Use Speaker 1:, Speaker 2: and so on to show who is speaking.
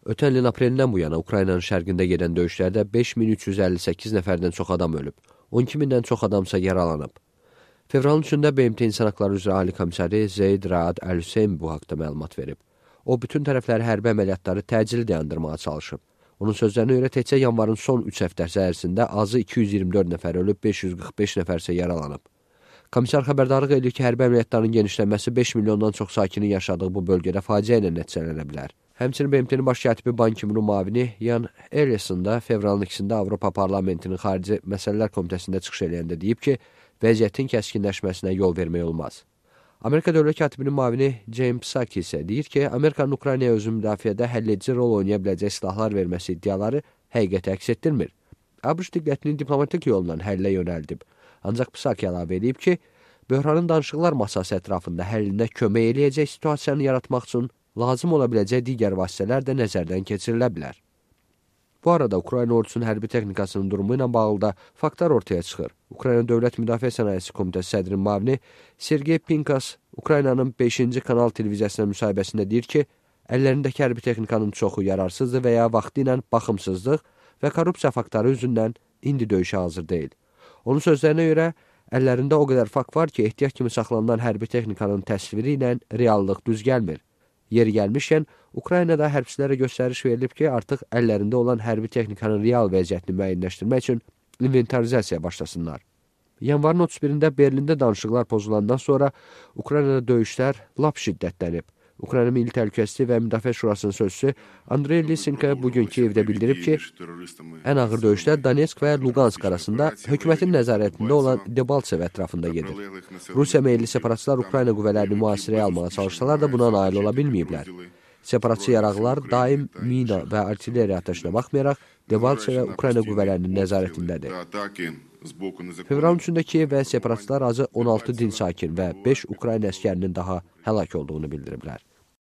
Speaker 1: Ötən ilin aprelindən bu yana Ukraynanın şərqində gedən döyüşlərdə 5358 nəfərdən çox adam ölüb, 12.000-dən çox adamsa yaralanıb. Fevralın 3-də BMT İnsan Haqları üzrə Ali Komissari Zeyd Raad Əl-Hüseyn bu haqda məlumat verib. O, bütün tərəfləri hərbi əməliyyatları təcili dayandırmağa çalışıb. Onun sözlərinə görə təkcə yanvarın son 3 həftəsi ərzində azı 224 nəfər ölüb, 545 nəfərsə yaralanıb. Komissar xəbərdarlıq edir ki, hərbi əməliyyatların genişlənməsi 5 milyondan çox sakinin yaşadığı bu bölgədə faciə ilə nəticələnə bilər. Həmçinin BMT-nin baş katibi Ban Ki-munun müavini Yan Ellison da fevralın 2-də Avropa Parlamentinin Xarici Məsələlər Komitəsində çıxış eləyəndə deyib ki, vəziyyətin kəskinləşməsinə yol vermək olmaz. Amerika Dövlət Katibinin müavini James Psaki isə deyir ki, Amerikanın Ukraynaya özü müdafiədə həlledici rol oynaya biləcək silahlar verməsi iddiaları həqiqəti əks etdirmir. ABŞ diqqətini diplomatik yolla həllə yönəldib. Ancaq Psaki əlavə edib ki, böhranın danışıqlar masası ətrafında həllinə kömək eləyəcək situasiyanı yaratmaq üçün lazım ola biləcək digər vasitələr də nəzərdən keçirilə bilər. Bu arada Ukrayna ordusunun hərbi texnikasının durumu ilə bağlı da faktlar ortaya çıxır. Ukrayna Dövlət Müdafiə Sənayesi Komitəsi sədrinin müavini Sergey Pinkas Ukraynanın 5-ci kanal televiziyasına müsahibəsində deyir ki, əllərindəki hərbi texnikanın çoxu yararsızdır və ya vaxtı ilə baxımsızlıq və korrupsiya faktları üzündən indi döyüşə hazır deyil. Onun sözlərinə görə, əllərində o qədər fakt var ki, ehtiyat kimi saxlanılan hərbi texnikanın təsviri ilə reallıq düz gəlmir. Yeri gəlmişkən, Ukraynada hərbçilərə göstəriş verilib ki, artıq əllərində olan hərbi texnikanın real vəziyyətini müəyyənləşdirmək üçün inventarizasiya başlasınlar. Yanvarın 31-də Berlində danışıqlar pozulandan sonra Ukraynada döyüşlər lap şiddətlənib. Ukrayna Milli Təhlükəsizlik və Müdafiə Şurasının sözçüsü Andrey Lisenko bugünkü evdə bildirib ki, ən ağır döyüşlər Donetsk və Lugansk arasında hökumətin nəzarətində olan Debaltsev ətrafında gedir. Rusiya meyilli separatçılar Ukrayna qüvvələrini mühasirəyə almağa çalışsalar da buna nail ola bilməyiblər. Separatçı yaraqlar daim mina və artilleriya atəşinə baxmayaraq Debaltsev və Ukrayna qüvvələrinin nəzarətindədir. Fevralın 3-də Kiyev və separatçılar azı 16 din sakin və 5 Ukrayna əskərinin daha həlak olduğunu bildiriblər.